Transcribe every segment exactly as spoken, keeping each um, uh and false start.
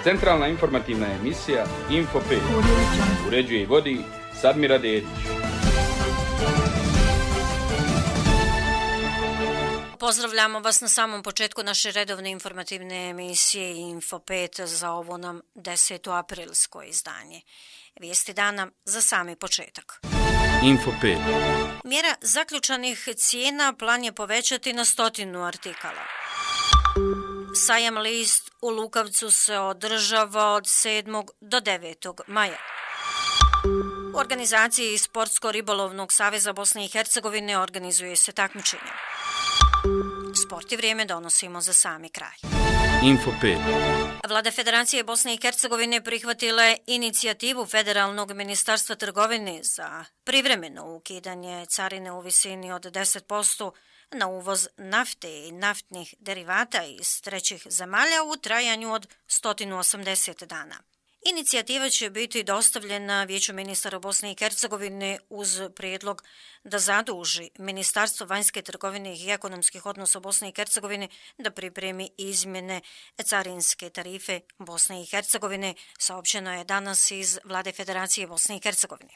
Centralna informativna emisija Info pet. Uređuje i vodi Sadmira Dedić. Pozdravljamo vas na samom početku naše redovne informativne emisije Info pet za ovo nam deseto aprilsko izdanje. Vijesti dana za sami početak. Info pet. Mjera zaključanih cijena plan je povećati na stotinu artikala. Sajam list u Lukavcu se održava od sedmog do devetog maja. U organizaciji Sportsko-ribolovnog saveza Bosne i Hercegovine organizuje se takmičenje. Sport i vrijeme donosimo za sami kraj. Info pet. Vlada Federacije Bosne i Hercegovine prihvatila je inicijativu Federalnog ministarstva trgovine za privremeno ukidanje carine u visini od deset posto na uvoz nafte i naftnih derivata iz trećih zemalja u trajanju od sto osamdeset dana. Inicijativa će biti dostavljena Vijeću ministara Bosne i Hercegovine uz prijedlog da zaduži Ministarstvo vanjske trgovine i ekonomskih odnosa Bosne i Hercegovine da pripremi izmjene carinske tarife Bosne i Hercegovine, saopćeno je danas iz Vlade Federacije Bosne i Hercegovine.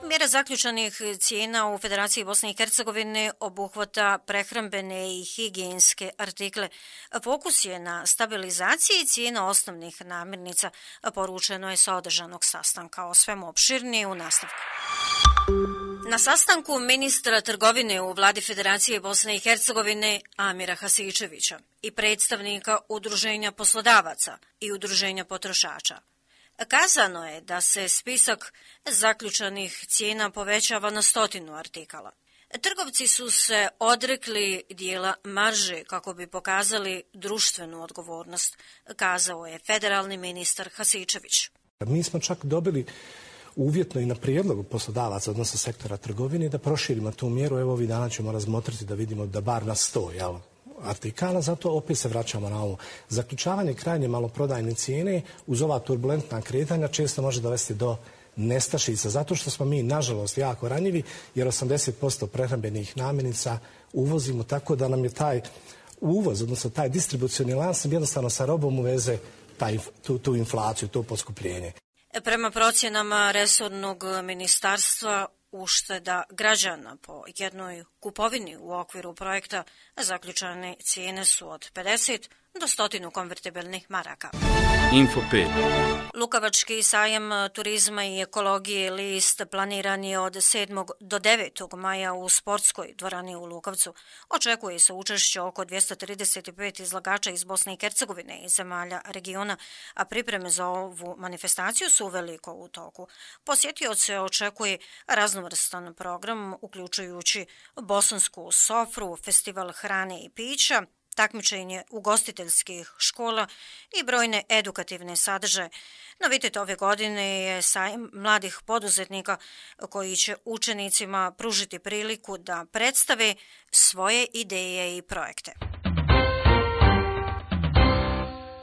Mjera zaključanih cijena u Federaciji Bosne i Hercegovine obuhvata prehrambene i higijenske artikle. Fokus je na stabilizaciji cijena osnovnih namirnica, poručeno je sa održanog sastanka. O svemu opširnije u nastavku. Na sastanku ministra trgovine u Vladi Federacije Bosne i Hercegovine Amira Hasičevića i predstavnika Udruženja poslodavaca i Udruženja potrošača kazano je da se spisak zaključanih cijena povećava na stotinu artikala. Trgovci su se odrekli dijela marže kako bi pokazali društvenu odgovornost, kazao je federalni ministar Hasičević. Mi smo čak dobili uvjetno i na prijedlogu poslodavaca, odnosno sektora trgovine, da proširimo tu mjeru. Evo ovih dana ćemo razmotriti da vidimo da bar na sto, jel? artikala, zato opet se vraćamo na ovo. Zaključavanje krajnje maloprodajne cijene uz ova turbulentna kretanja često može dovesti do nestašica, zato što smo mi, nažalost, jako ranjivi, jer osamdeset posto prehrambenih namirnica uvozimo, tako da nam je taj uvoz, odnosno taj distribucioni lanac jednostavno sa robom uveze taj, tu, tu inflaciju, to poskupljenje. Prema procjenama resornog ministarstva, ušteda građana po jednoj kupovini u okviru projekta zaključane cijene su od pedeset do stotinu konvertibilnih maraka. Info pet. Lukavački sajam turizma i ekologije list planiran je od sedmog do devetog maja u sportskoj dvorani u Lukavcu. Očekuje se učešće oko dvjesto trideset pet izlagača iz Bosne i Hercegovine i zemalja regiona, a pripreme za ovu manifestaciju su veliko u toku. Posjetioce očekuje raznovrstan program uključujući bosansku sofru, festival hrane i pića, takmičenje ugostiteljskih škola i brojne edukativne sadržaje. Novitet ove godine je sajam mladih poduzetnika koji će učenicima pružiti priliku da predstave svoje ideje i projekte.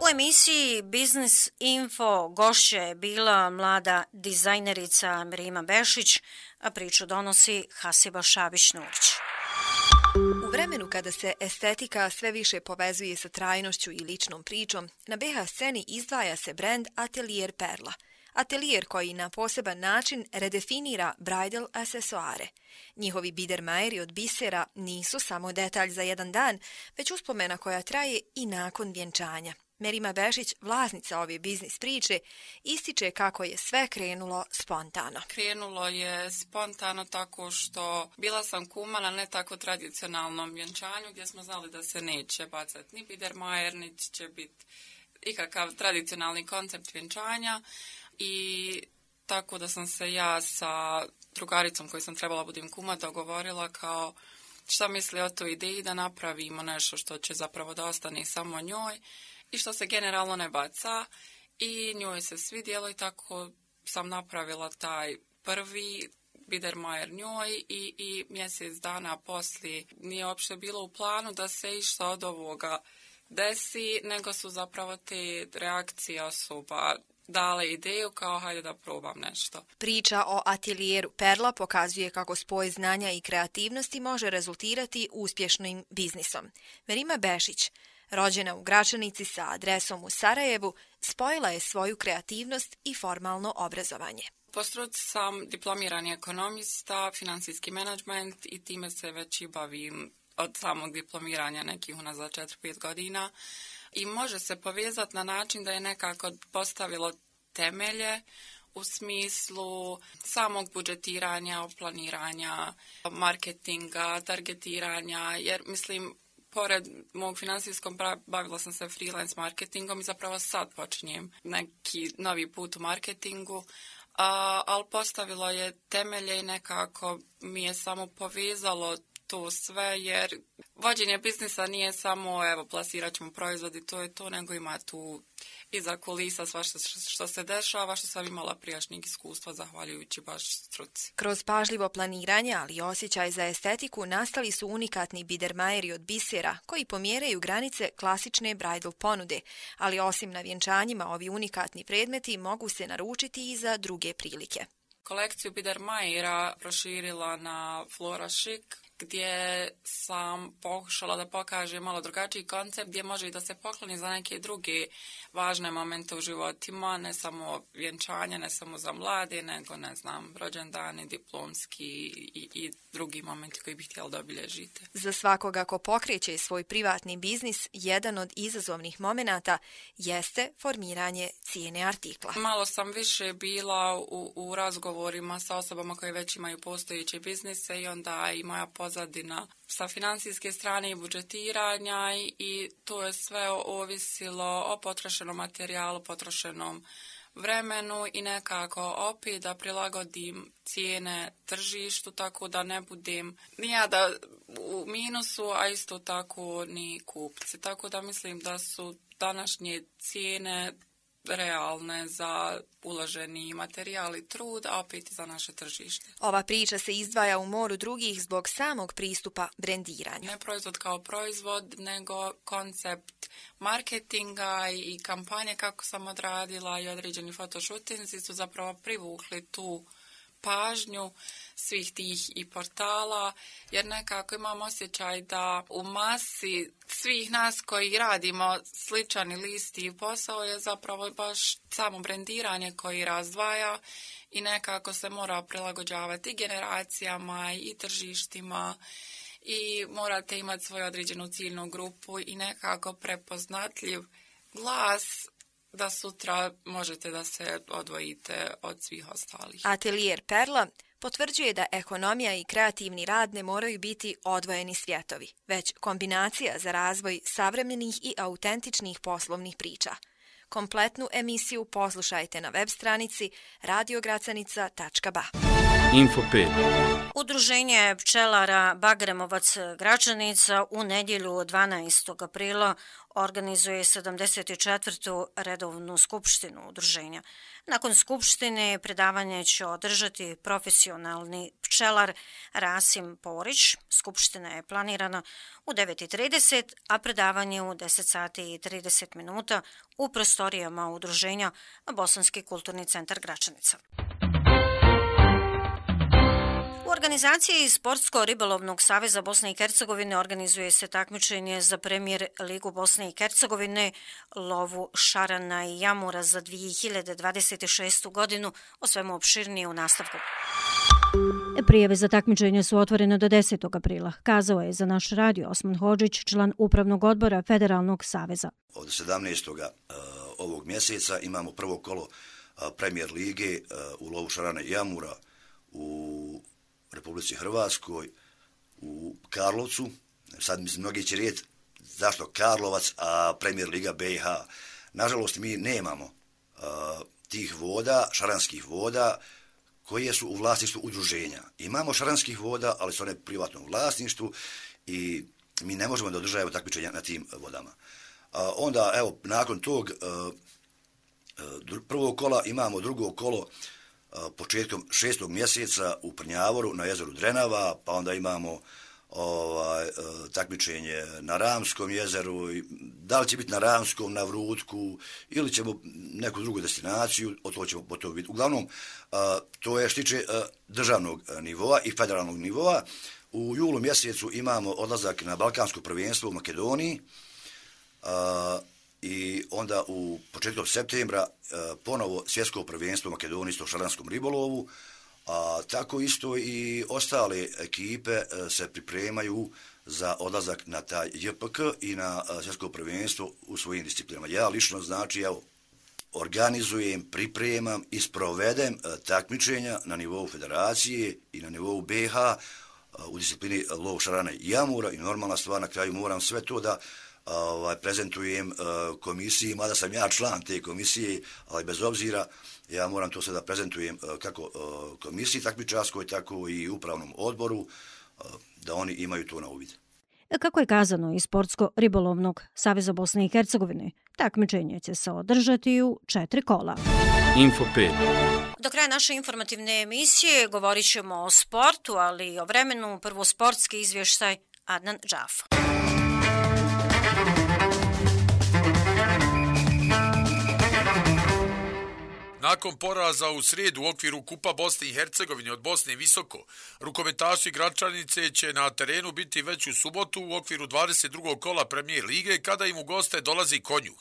U emisiji Biznis Info gošća je bila mlada dizajnerica Merima Bešić, a priču donosi Hasiba Šabić-Nurić. U vremenu kada se estetika sve više povezuje sa trajnošću i ličnom pričom, na be ha sceni izdvaja se brend Atelier Perla. Atelier koji na poseban način redefinira bridal aksesuare. Njihovi bidermajeri od bisera nisu samo detalj za jedan dan, već uspomena koja traje i nakon vjenčanja. Merima Bešić, vlasnica ove biznis priče, ističe kako je sve krenulo spontano. Krenulo je spontano tako što bila sam kuma na ne tako tradicionalnom vjenčanju gdje smo znali da se neće bacati ni bidermajer, niti će biti ikakav tradicionalni koncept vjenčanja i tako da sam se ja sa drugaricom koju sam trebala budem kuma dogovorila kao šta misli o toj ideji da napravimo nešto što će zapravo da ostane samo njoj i što se generalno ne baca i njoj se svidjelo i tako sam napravila taj prvi bidermajer njoj i, i mjesec dana poslije nije uopšte bilo u planu da se išta od ovoga desi, nego su zapravo te reakcije osoba dale ideju kao hajde da probam nešto. Priča o atelijeru Perla pokazuje kako spoj znanja i kreativnosti može rezultirati uspješnim biznisom. Merima Bešić, Rođena u Gračanici sa adresom u Sarajevu, spojila je svoju kreativnost i formalno obrazovanje. Po struci sam diplomirani ekonomista, finansijski menadžment i time se već i bavim od samog diplomiranja nekih unazad četiri pet godina. I može se povezati na način da je nekako postavilo temelje u smislu samog budžetiranja, planiranja, marketinga, targetiranja, jer mislim, pored mog finansijskog bavila sam se freelance marketingom i zapravo sad počinjem neki novi put u marketingu, a, ali postavilo je temelje i nekako mi je samo povezalo to sve, jer vođenje biznisa nije samo evo plasirat ćemo proizvod i to je to, nego ima tu iza kulisa svašta što se dešava, što sam imala prijašnjeg iskustva zahvaljujući baš struci. Kroz pažljivo planiranje, ali i osjećaj za estetiku, nastali su unikatni bidermajeri od bisera koji pomjeraju granice klasične bridal ponude, ali osim na vjenčanjima ovi unikatni predmeti mogu se naručiti i za druge prilike. Kolekciju bidermajera proširila na Flora Chic, gdje sam pokušala da pokažem malo drugačiji koncept gdje može i da se pokloni za neke druge važne momente u životima, ne samo vjenčanje, ne samo za mlade, nego ne znam, rođendani, diplomski i, i drugi momenti koji bih htjela da obilježite. Za svakoga ko pokreće svoj privatni biznis, jedan od izazovnih momenata jeste formiranje cijene artikla. Malo sam više bila u, u razgovorima sa osobama koje već imaju postojeće biznise i onda i moja pozadina sa financijske strane i budžetiranja i, i to je sve ovisilo o potrošenom materijalu, potrošenom vremenu i nekako opet da prilagodim cijene tržištu tako da ne budem ni ja da u minusu, a isto tako ni kupci. Tako da mislim da su današnje cijene realne za uloženi materijal i trud, a opet i za naše tržište. Ova priča se izdvaja u moru drugih zbog samog pristupa brendiranju. Ne proizvod kao proizvod, nego koncept marketinga i kampanje kako sam odradila i određeni fotoshootinzi su zapravo privukli tu pažnju svih tih i portala, jer nekako imam osjećaj da u masi svih nas koji radimo sličan ili isti posao je zapravo baš samo brendiranje koji razdvaja i nekako se mora prilagođavati i generacijama i tržištima i morate imati svoju određenu ciljnu grupu i nekako prepoznatljiv glas da sutra možete da se odvojite od svih ostalih. Atelijer Perla potvrđuje da ekonomija i kreativni rad ne moraju biti odvojeni svjetovi, već kombinacija za razvoj savremenih i autentičnih poslovnih priča. Kompletnu emisiju poslušajte na web stranici radio gracanica tačka ba. Info pet. Udruženje pčelara Bagremovac Gračanica u nedjelju dvanaestog aprila organizuje sedamdeset četvrtu redovnu skupštinu udruženja. Nakon skupštine predavanje će održati profesionalni pčelar Rasim Porić. Skupština je planirana u devet i trideset, a predavanje u deset sati i trideset minuta u prostorijama udruženja Bosanski kulturni centar Gračanica. U organizaciji Sportsko-ribolovnog saveza Bosne i Hercegovine organizuje se takmičenje za premijer Ligu Bosne i Hercegovine lovu šarana i jamura za dvije hiljade dvadeset šestu godinu, o svemu opširnije u nastavku. Prijave za takmičenje su otvorene do desetog aprila, kazao je za naš radio Osman Hodžić, član upravnog odbora Federalnog saveza. Od sedamnaestog ovog mjeseca imamo prvo kolo premijer lige u lovu šarana i jamura u Republici Hrvatskoj, u Karlovcu. Sad mislim, mnogi će reći zašto Karlovac, a premijer liga B i H. Nažalost, mi nemamo uh, tih voda, šaranskih voda, koje su u vlasništvu udruženja. Imamo šaranskih voda, ali su one u privatnom vlasništvu i mi ne možemo da održavamo takmičenja na tim vodama. Uh, onda, evo, nakon tog uh, uh, prvog kola imamo drugo kolo početkom šestog mjeseca u Prnjavoru na jezeru Drenava, pa onda imamo ovaj, takmičenje na Ramskom jezeru, da li će biti na Ramskom, na Vrutku ili ćemo neku drugu destinaciju, o to ćemo potom vidjeti. Uglavnom, to je što tiče državnog nivoa i federalnog nivoa. U julu mjesecu imamo odlazak na Balkansko prvenstvo u Makedoniji, i onda u početkom septembra ponovo svjetsko prvenstvo u Makedoniji istočaranskom ribolovu, a tako isto i ostale ekipe se pripremaju za odlazak na taj J P K i na svjetsko prvenstvo u svojim disciplinama. Ja lično znači, evo, organizujem, pripremam i sprovedem takmičenja na nivou federacije i na nivou B H u disciplini lov šarana i jamura i normalna stvar, na kraju moram sve to da ovaj, prezentujem komisiji, mada sam ja član te komisije, ali bez obzira ja moram to sve da prezentujem kako komisiji takmičarskoj, tako i upravnom odboru, da oni imaju to na uvid. Kako je kazano iz Sportsko-ribolovnog saveza Bosne i Hercegovine, takmičenje će se održati u četiri kola. Info pet. Do kraja naše informativne emisije govorit ćemo o sportu, ali i o vremenu. Prvo sportski izvještaj Adnan Džafo. Nakon poraza u srijedu u okviru Kupa Bosne i Hercegovine od Bosne Visoko, rukometaši Gračanice će na terenu biti već u subotu u okviru dvadeset drugog kola Premijer lige kada im u goste dolazi Konjuh.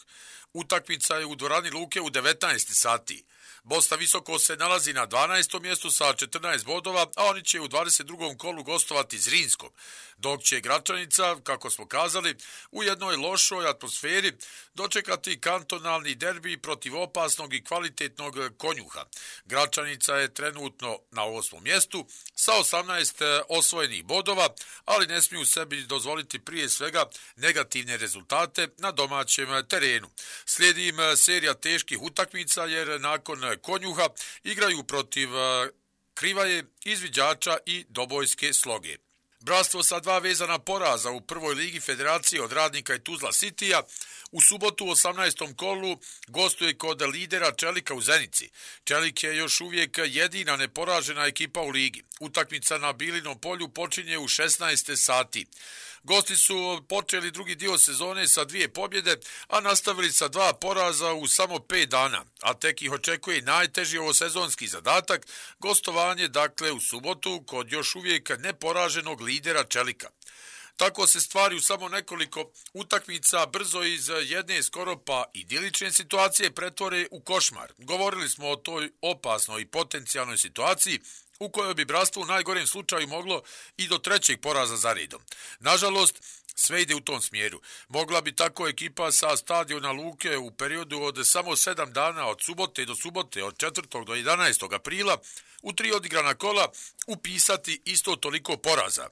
Utakmica je u dvorani Luke u devetnaest sati. Bosna Visoko se nalazi na dvanaestom mjestu sa četrnaest bodova, a oni će u dvadeset drugom kolu gostovati Zrinskom, dok će Gračanica, kako smo kazali, u jednoj lošoj atmosferi dočekati kantonalni derbi protiv opasnog i kvalitetnog Konjuha. Gračanica je trenutno na osmom mjestu sa osamnaest osvojenih bodova, ali ne smiju sebi dozvoliti prije svega negativne rezultate na domaćem terenu. Slijedi im serija teških utakmica jer nakon Konjuha igraju protiv Krivaje, Izviđača i Dobojske Sloge. Bratstvo sa dva vezana poraza u prvoj ligi federacije od Radnika i Tuzla Citya u subotu u osamnaestom kolu gostuje kod lidera Čelika u Zenici. Čelik je još uvijek jedina neporažena ekipa u ligi. Utakmica na Bilinom polju počinje u šesnaest sati. Gosti su počeli drugi dio sezone sa dvije pobjede, a nastavili sa dva poraza u samo pet dana, a tek ih očekuje najteži ovosezonski zadatak, gostovanje dakle u subotu kod još uvijek neporaženog lidera Čelika. Tako se stvari u samo nekoliko utakmica brzo iz jedne skoro pa idilične situacije pretvore u košmar. Govorili smo o toj opasnoj i potencijalnoj situaciji u kojoj bi bratstvo u najgorem slučaju moglo i do trećeg poraza za redom. Nažalost, sve ide u tom smjeru. Mogla bi tako ekipa sa stadiona Luke u periodu od samo sedam dana od subote do subote, od četvrtog do jedanaestog aprila, u tri odigrana kola upisati isto toliko poraza.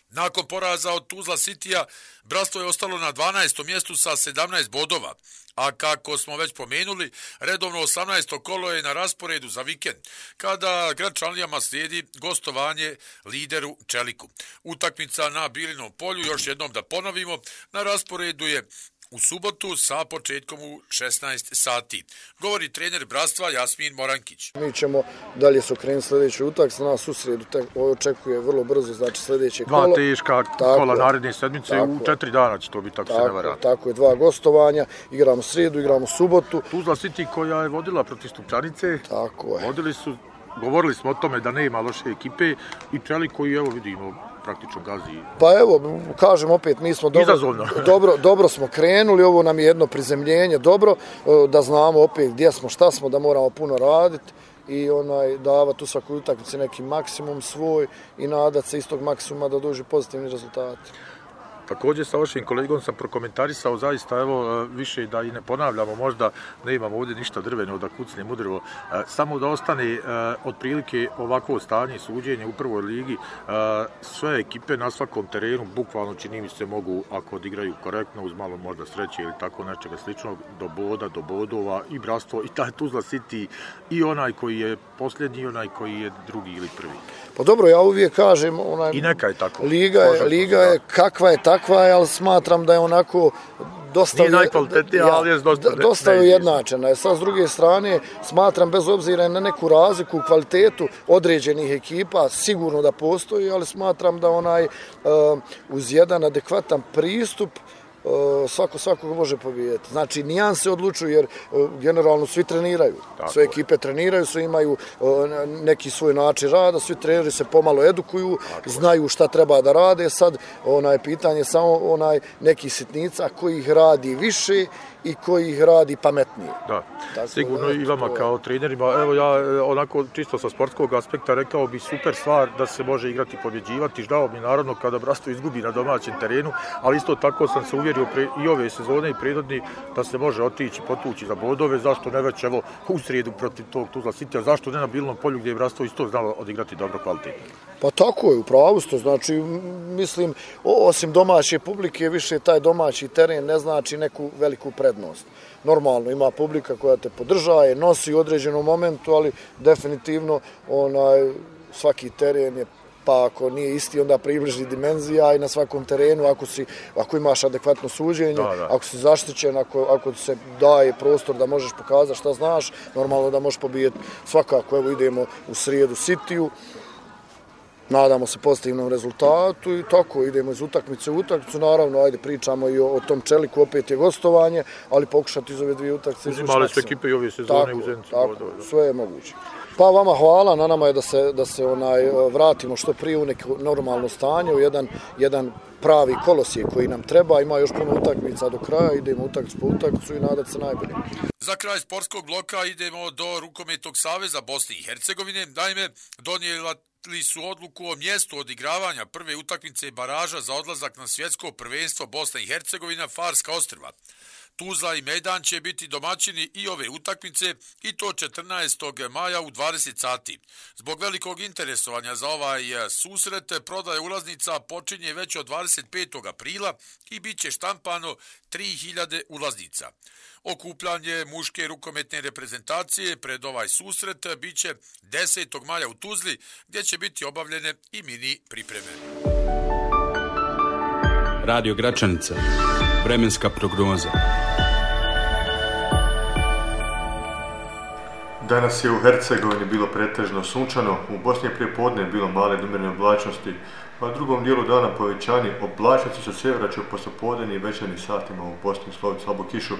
Nakon poraza od Tuzla Citya, bratstvo je ostalo na dvanaestom mjestu sa sedamnaest bodova, a kako smo već pomenuli, redovno osamnaesto kolo je na rasporedu za vikend, kada Gračanlijama slijedi gostovanje lideru Čeliku. Utakmica na Bilinom polju, još jednom da ponovimo, na rasporedu je u subotu sa početkom u šesnaest sati. Govori trener bratstva Jasmin Morankić. Mi ćemo dalje se okrenuti sljedeći utakmicu. Nas u srijedu očekuje vrlo brzo, znači sljedeće kolo. Dva teška kola naredne sedmice, u četiri dana će to biti, tako, tako se ne vara. Tako je, dva gostovanja, igramo srijedu, igramo subotu. Tuzla City koja je vodila protiv Stupčanice. Tako je. Vodili su, govorili smo o tome da nema loše ekipe i Čelik koji, evo vidimo, praktično gazi. Pa evo, kažem opet, mi smo dobro, dobro, dobro smo krenuli, ovo nam je jedno prizemljenje, dobro, da znamo opet gdje smo, šta smo, da moramo puno raditi i onaj davati u svakoj utakmici neki maksimum svoj i nadati se istog maksimuma da dođu pozitivni rezultati. Također sa vašim kolegom sam prokomentarisao zaista, evo, više da i ne ponavljamo, možda ne imamo ovdje ništa drveno da kucne udrvo, samo da ostane otprilike ovako stanje suđenje u prvoj ligi, sve ekipe na svakom terenu, bukvalno čini mi se mogu, ako odigraju korektno, uz malo možda sreće ili tako nečega sličnog, do boda, do bodova i bratstvo, i taj Tuzla City, i onaj koji je posljednji, i onaj koji je drugi ili prvi. Pa dobro, ja uvijek kažem, onaj, i neka je tako. Liga je, liga je kakva je takva je, ali smatram da je onako dosta, nije najkvalitetnija, ali je dosta, dosta ujednačena. Sad, s druge strane, smatram bez obzira na neku razliku u kvalitetu određenih ekipa, sigurno da postoji, ali smatram da onaj uh, uz jedan adekvatan pristup svako svakog može pobijediti. Znači, nijanse odlučuju jer generalno svi treniraju. Tako sve ekipe treniraju, svi imaju neki svoj način rada, svi treneri se pomalo edukuju, tako znaju šta treba da rade. Sad, onaj pitanje samo onaj nekih sitnica koji ih radi više i koji ih radi pametnije. Da, tako, sigurno da, i vama to... kao trenerima. Evo ja onako čisto sa sportskog aspekta rekao bi super stvar da se može igrati i pobjeđivati. Žao mi naravno kada Brastov izgubi na domaćem terenu, ali isto tako sam se uvjerio pre, i ove sezone i prethodni da se može otići, potući za bodove. Zašto ne već evo u srijedu protiv tog Tuzla Citya, zašto ne na Bilnom polju gdje je Brastov isto znalo odigrati dobro kvalitetno? Pa tako je, u pravu ste. Znači, mislim, osim domaće publike, više taj domaći teren ne znači neku veliku prednost. Normalno, ima publika koja te podržaje, nosi u određenom momentu, ali definitivno onaj, svaki teren je, pa ako nije isti, onda približni dimenzija i na svakom terenu, ako, si, ako imaš adekvatno suđenje, da, da. Ako si zaštićen, ako, ako se daje prostor da možeš pokazati šta znaš, normalno da možeš pobijeti svakako. Evo idemo u srijedu Cityju, nadamo se pozitivnom rezultatu i tako idemo iz utakmice u utakmicu. Naravno, ajde pričamo i o, o tom Čeliku, opet je gostovanje, ali pokušati iz ove dvije utakmice. Uzimali su ekipe i ove sezone tako, u Zenicu. Tako, sve je moguće. Pa vama hvala, na nama je da se, da se onaj, vratimo što prije u neko normalno stanje, u jedan, jedan pravi kolosijek koji nam treba. Ima još puno utakmica do kraja, idemo utakmicu po utakmicu i nadati se najbolje. Za kraj sportskog bloka idemo do Rukometnog saveza Bosne i Hercegovine. Naime, donijela li su odluku o mjestu odigravanja prve utakmice baraža za odlazak na svjetsko prvenstvo Bosna i Hercegovina Farska ostrva. Tuzla i Mejdan će biti domaćini i ove utakmice i to četrnaestog maja u dvadeset sati. Zbog velikog interesovanja za ovaj susret prodaje ulaznica počinje već od dvadeset petog aprila i bit će štampano tri hiljade ulaznica. Okupljanje muške rukometne reprezentacije pred ovaj susret bit će desetog maja u Tuzli, gdje će biti obavljene i mini pripreme. Radio Gračanica. Vremenska prognoza. Danas je u Hercegovini bilo pretežno sunčano, u Bosni je prije podne bilo male umjerene oblačnosti, a u drugom dijelu dana povećanje oblačnosti sa sjevera će u poslijepodnevnim i večernjim satima u Bosni usloviti slabu kišu.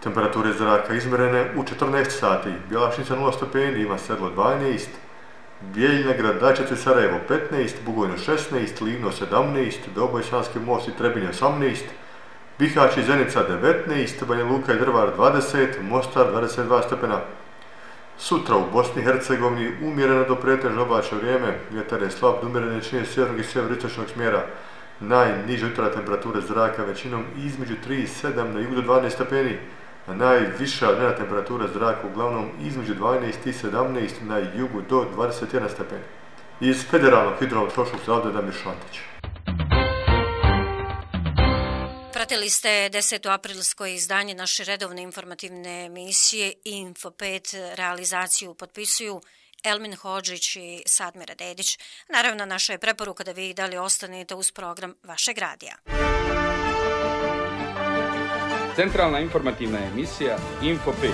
Temperature zraka izmjerene u četrnaest sati, Bjelašnica nula stepeni, Ivan Sedlo dvanaest, Bijeljina, Gradačac i Sarajevo petnaest, Bugojno šesnaest, Livno sedamnaest, Doboj, Sanski most i Trebinje osamnaest, Bihać i Zenica devetnaest, Banja Luka i Drvar dvadeset, Mostar dvadeset dva stepena. Sutra u Bosni i Hercegovini umjereno do pretežno oblačno vrijeme, vjetar je slab do umjerene većine sjevernog i sjeveroistočnog smjera. Najniža jutra temperature zraka većinom između tri i sedam, na jugu do dvanaest stepeni, a najviša dnevna temperatura zraka uglavnom između dvanaest i sedamnaest, na jugu do dvadeset jedan stepeni. Iz Federalnog hidrometeorološkog zavoda Damir Šantić. Pratili ste deseto aprilsko izdanje naše redovne informativne emisije Info pet. Realizaciju potpisuju Elmin Hodžić i Sadmira Dedić. Naravno, naša je preporuka da vi i dalje ostanete uz program vašeg radija. Centralna informativna emisija Info pet.